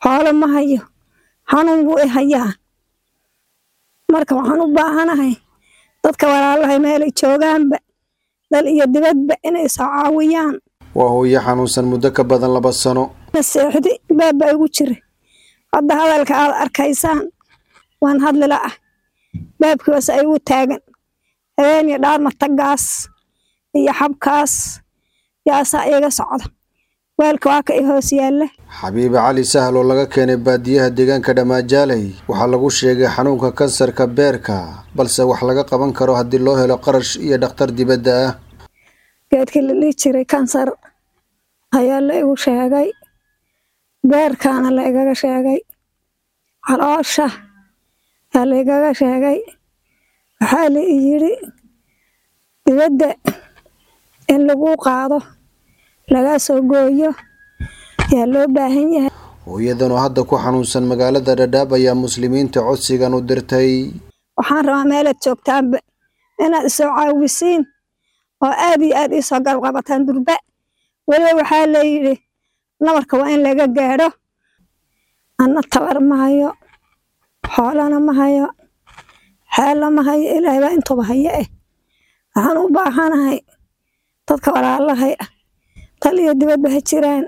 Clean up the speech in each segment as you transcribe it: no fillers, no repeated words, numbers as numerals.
Xoolo ma hayo, xanuun buu i hayaa. Marka waxaan u baahanahay dadka walaalahay meelay joogaanba, dal iyo dibadba, inay soo caawiyaan. Waa hooyo xanuunsan muddo ka badan 2 sano. Seexdi baab baa igu jira. Hadda hadalka aad arkaysaan waan hadli la'ah, baabkii waase igu taagan. Habeen iyo dhaar matagaas iyo xabkaas yaasaa iiga socda. Weelka waa ka i hoos yaalla. Xabiibe Cali Sahal oo laga keenay baadiyaha deegaanka Dhammaajaaley waxaa lagu sheegay xanuunka kansarka beerka, balse wax laga qaban karo haddii loo helo qarash iyo dhakhtar dibadda ah. Geedkii la dhihi jiray kansar ayaa la igu sheegay, beerkaana la igaga sheegay, caloosha aa la igaga sheegay. Waxaa la i yidhi dibadda in lagu qaado, lagaa soo gooyo yaa loo baahan yahay. Hooyadan oo hadda ku xanuunsan magaalada Dhadhaab ayaa muslimiinta codsigan u dirtay. Waxaan rabaa meelaad joogtaanba inaad isoo caawisiin oo aad iyo aad iisoo garab qabataan durba. Weliba waxaa la yidhi nabarka waa in laga gaadho. Anna tabar ma hayo, xoolana ma hayo, xeella ma hayo, Ilaahay baa intuba hayo. Waxaan u baahanahay dadka walaalahay ah, dal iyo dibadba ha jiraan,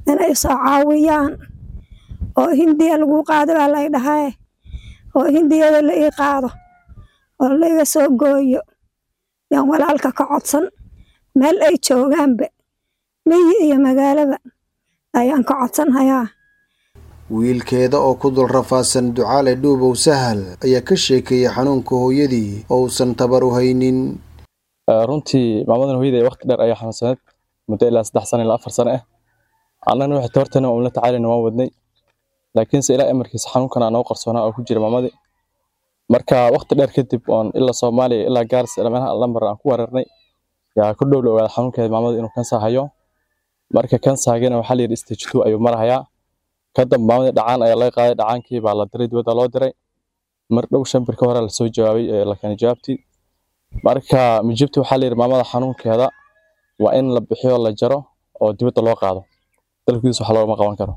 inay soo caawiyaan oo Hindiya lagu qaado baa lay dhahaye, oo Hindiyada la ii qaado oo la iga soo gooyo yaan walaalka ka codsan. Meel ay joogaanba, miyi iyo magaalaba, ayaan ka codsan hayaa. Wiilkeeda oo ku dul rafaadsan, Ducaale Dhuubow Sahal, ayaa ka sheekeeyey xanuunka hooyadii oo uusan tabar u haynin. Runtii maamadan hooyaday waqti dheer ayaa xanuunsaneed, muddo ilaa 3 sano ilaa 4 sano ah. Annagana waxay tabartana waan la tacaalayna, waan wadnay, laakiinse ilaa amarkiisa xanuunkan aa noo qarsoonaa oo ku jira maamadii. Marka waqti dheer kadib oon ilaa Soomaaliya ilaa Gaarisa ilaa meelaha lambar aan ku wareernay yaa ku dhow la ogaaday xanuunkeeda maamada inuu kansar hayo. Marka kansargana waxaa la yidhi stage 2 ayuu marahayaa. Kadamba maamadii dhacaan ayaa laga qaaday, dhacaankii baa la diray, dibadda loo diray. Mar dhow 5 bir ka hore lasoo jawaabay ee la keenay jawaabtii. Marka mijibti waxaa la yidhi maamada xanuunkeeda waa in la bixiyo, la jaro oo dibadda loo qaado, dalkiisa wax loogama qaban karo.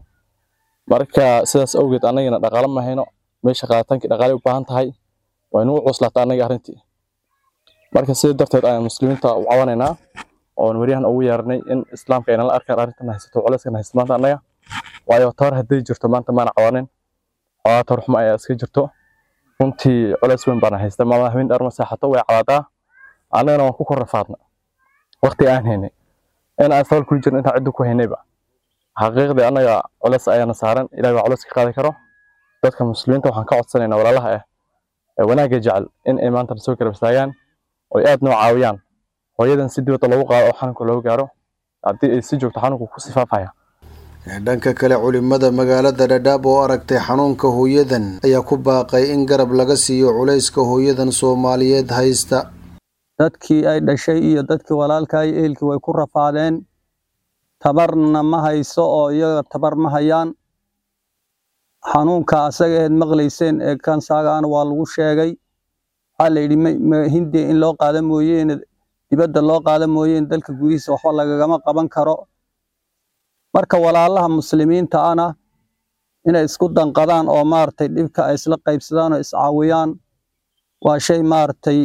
Marka sidaas awgeed annagana dhaqaale ma hayno, meesha qaaditaankii dhaqaale u baahan tahay, waa inuu cuslaata annaga arrintii. Marka sidaa darteed ayaan muslimiinta u cawanaynaa oon waryahan ugu yeernay in islaamka ay nala arkaan arrintan haysato, culeyskan haysto maanta annaga. Waayo, tabar hadday jirto maanta maana cawanin, xoogaa tabar xumo ayaa iska jirto. Runtii culeys weyn baana haysta. Maamada habeen dheer ma seexato, way cadaadaa, annagana waan ku kor rafaadna waqti aan haynay in aan sabal kula jirno intaan ciddu ku haynayba. Xaqiiqdii annaga culeys ayaana saaran, Ilahay baa culeys ka qaadi karo. Dadka muslimiinta waxaan ka codsanaynaa, walaalaha ah ee wanaagga jecel, in ay maanta soo garab istaagaan oo ay aad noo caawiyaan hooyadan si dibadda loogu qaado oo xanuunka loogu gaaro. Haddii ay si joogto xanuunku ku sifaafaya. Dhanka kale, culimada magaalada Dhadhaab oo aragtay xanuunka hooyadan ayaa ku baaqay in garab laga siiyo culayska hooyadan Soomaaliyeed haysta. Dadkii ay dhashay iyo dadkii walaalka iyo ehelkii way ku rafaadeen. Tabarna ma hayso oo iyaga tabar ma hayaan. Xanuunka asaga aheed maqlayseen ee kansagaana waa lagu sheegay. Waxaa la yidhi Hindiya in loo qaado mooyeene, dibadda loo qaado mooyeene, dalka gudihiisa waxba lagagama qaban karo. Marka walaalaha muslimiinta ana inay isku danqadaan oo maaragtay dhibka ay isla qaybsadaan oo iscaawiyaan waa shay maaragtay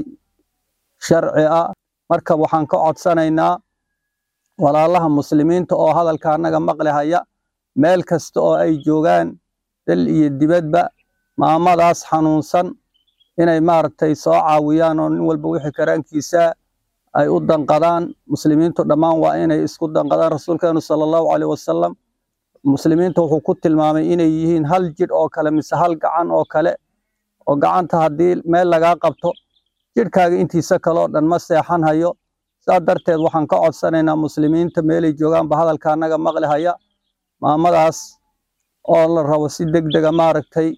sharci ah. Marka waxaan ka codsanaynaa walaalaha muslimiinta oo hadalka annaga maqli haya, meel kasta oo ay joogaan, dal iyo dibadba, maamadaas xanuunsan inay maaragtay soo caawiyaan oo nin walba wixii karaankiisa ay u danqadaan. Muslimiintu dhammaan waa inay isku danqadaan. Rasuulkeenu sala Allahu caleyhi wasalam muslimiinta wuxuu ku tilmaamay inay yihiin hal jidh oo kale mise hal gacan oo kale, oo gacanta haddii meel lagaa qabto jidhkaaga intiisa kale oo dhan ma seexan hayo. Saa darteed waxaan ka codsanaynaa muslimiinta meelay joogaanba hadalka annaga maqli haya, maamadaas oo la rabo si degdega maaragtay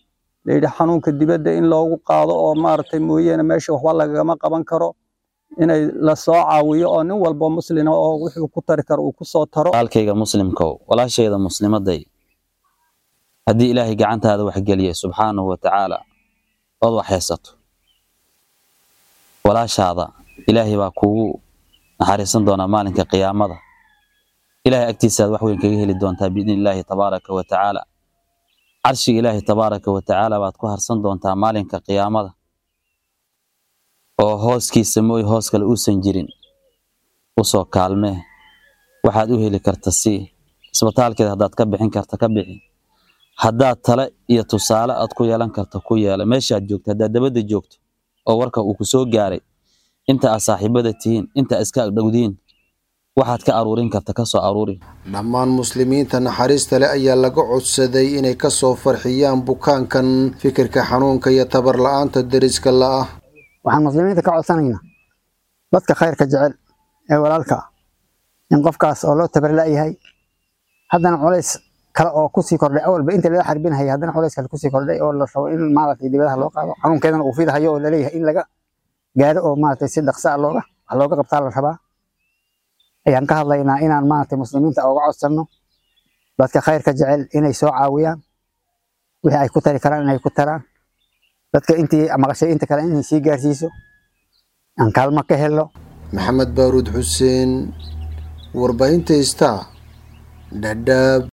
layidhi xanuunka dibadda in loogu qaado oo maaragtay mooyeene meesha waxba lagagama qaban karo, inay la soo caawiyo oo nin walba muslina oo wuxuu ku tari karo uu ku soo taro. Walaalkayga muslimkow, walaashayda muslimaday, haddii Ilaahay gacantaada wax geliyay subxaanahu wa tacaala ood wax haysato, walaashaada Ilaahay baa kuugu naxariisan doonaa maalinka qiyaamada. Ilaahay agtiisaad wax weyn kaga heli doontaa biidni Illaahi tabaaraka wa tacaala. Carshiga Ilaahay tabaaraka wa tacaala baad ku harsan doontaa maalinka qiyaamada, oo hooskiisa mooy hoos kale uusan jirin. Usoo kaalmee, waxaad u heli karta sii, isbitaalkeeda haddaad ka bixin karta ka bixi, haddaad tale iyo tusaale aad ku yeelan karta ku yeela meeshaad joogto. Haddaad dabadda joogto oo warka uu ku soo gaaray, inta aad saaxiibada tihiin, inta aad iska agdhowdiin, waxaad ka aruurin karta ka soo aruuri. Dhammaan muslimiinta naxariista leh ayaa laga codsaday inay ka soo farxiyaan bukaankan fikirka xanuunka iyo tabar la'aanta deriska la'ah. Waxaan muslimiinta ka codsanaynaa, dadka khayrka jecel ee walaalka ah, in qofkaas oo loo tabar la'yahay, haddana culays kale oo kusii kordhay, awalba inta lala xarbinahaya haddana culays kale kusii kordhay, oo la rabo in maaragtay dibadaha loo qaado, xanuunkeedana uu fidahayo oo laleeyahay in laga gaaro oo maaragtay si dhaqso ah looga wax looga qabtaa la rabaa, ayaan ka hadlaynaa inaan maaragtay muslimiinta uga codsanno, dadka khayrka jecel inay soo caawiyaan, wixii ay ku tari karaan inay ku taraan, dadka intii maqashay inta kale inay sii gaarsiiso, aan kaalmo ka helno. Maxamed Baaruud Xuseen, warbaahinta Star, Dhadhaab.